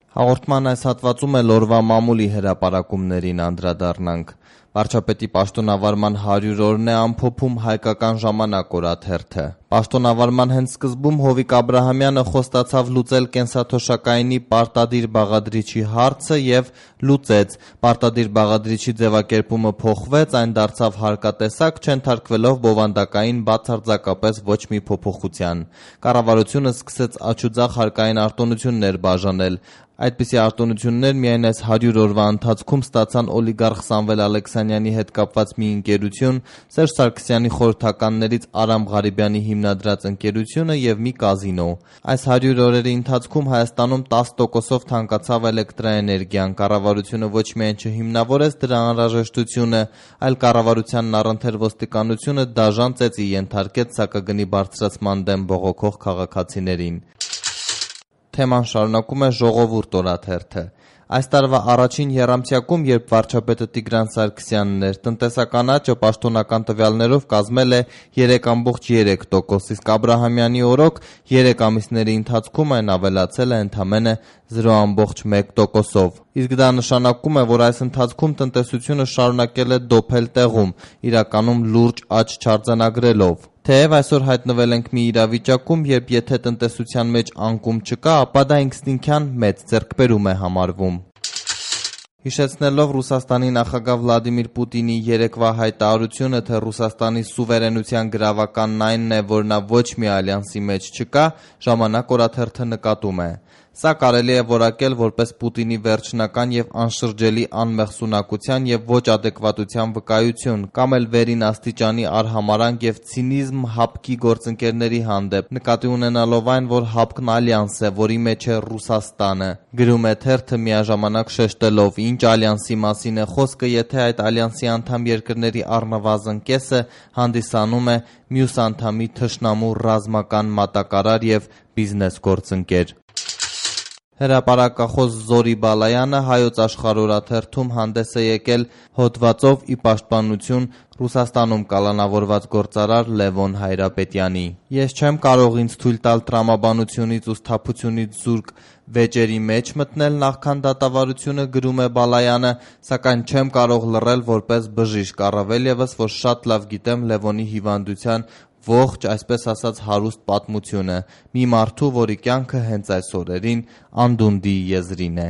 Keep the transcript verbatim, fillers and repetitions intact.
Հաղորդման այս հատվածում էլ օրվա մամուլի հրապարակումներին անդրադառնանք։ Վարչապետի պաշտոնավարման հարյուր օրն է ամփոփում «Հայկական ժամանակ» օրաթերթը։ Պաշտոնավարման հենց սկզբում Հովիկ Աբրահամյանը խոստացավ լուծել կենսաթոշակայինի պարտադիր բաղադրիչի հարցը եւ լուծեց։ Պարտադիր բաղադրիչի ձևակերպումը փոխվեց, այն դարձավ հարկատեսակ, չենթարկվելով բովանդակային բացարձակապես ոչ մի փոփոխության։ Կառավարությունը սկսեց աջուձախ հարկային արտոնություններ բաժանել։ Այդպիսի արտոնություններ միայն այս հարյուր օրվա ընթացքում ստացան օլիգարխ Սամվել Ալեքսանյանի հետ կապված մի ընկերություն, Սերժ Սարգսյանի խորհրդականներից Արամ Ղարիբյանի հիմնադրած ընկերությունը եւ մի կազինո։ Այս հարյուր օրերի ընթացքում Հայաստանում տասը տոկոսով թանկացավ էլեկտրաէներգիան։ Կառավարությունը ոչ միայն չհիմնավորեց դրա անհրաժեշտությունը, այլ կառավարությանն առընթեր ոստիկանությունը դաժան ծեծի ենթարկեց սակագնի բարձրացման դեմ բողոքող քաղաքացիներին։ Թեման շարունակում է «Ժողովուրդ» օրաթերթը։ Այս տարվա առաջին եռամսյակում, երբ վարչապետը Տիգրան Սարգսյանն էր, տնտեսական աճը պաշտոնական տվյալներով կազմել է երեք ամբողջ երեք տոկոս, իսկ Աբրահամյանի օրոք երեք ամիսների ընթացքում այն ավելացել է ընդամենը զրո ամբողջ մեկ տոկոսով։ Իսկ դա նշանակում է, որ այս ընթացքում տնտեսությունը շարունակել է դոփել տեղում, իրականում լուրջ աճ չարձանագրելով։ Թեև այսօր հայտնվել ենք մի իրավիճակում, երբ եթե տնտեսության մեջ անկում չկա, ապա դա ինքնին մեծ ձեռքբերում է համարվում։ Հիշեցնելով Ռուսաստանի նախագահ Վլադիմիր Պուտինի երեկվա հայտարարությունը, թե Ռուսաստանի սուվերենության գրավականն այնն է, որ նա ոչ մի ալյանսի մեջ չկա, «Ժամանակ» օրաթերթը նկատում է. Սա կարելի է որակել որպես Պուտինի վերջնական եւ անշրջելի անմեղսունակության եւ ոչ ադեկվատության վկայություն, կամ էլ վերին աստիճանի արհամարհանք եւ ցինիզմ ՀԱՊԿ-ի գործընկերների հանդեպ, նկատի ունենալով այն, որ ՀԱՊԿ-ն ալյանս է, որի մեջ է Ռուսաստանը։ Գրում է թերթը միաժամանակ շեշտելով, ինչ ալյանսի մասին է խոսքը, եթե այդ ալյանսի անդամ երկրների առնվազն կեսը հանդիսանում է մյուս անդամի թշնամու ռազմական մատակարար եւ բիզնես գործընկեր։ Հրապարակախոս Զորի Բալայանը Հայոց Աշխարհ օրաթերթում հանդես է եկել հոդվածով ի պաշտպանություն Ռուսաստանում կալանավորված գործարար Լևոն Հայրապետյանի։ Ես չեմ կարող ինձ թույլ տալ տրամաբանությունից ու սթափությունից զուրկ վեճերի մեջ մտնել նախքան դատավարությունը, գրում է Բալայանը, սակայն չեմ կարող լռել որպես բժիշկ, առավել ևս, որ շատ լավ գիտեմ Լևոնի հիվանդության ողջ, այսպես ասած, հարուստ պատմությունը, մի մարդու, որի կյանքը հենց այս օրերին անդունդի եզրին է։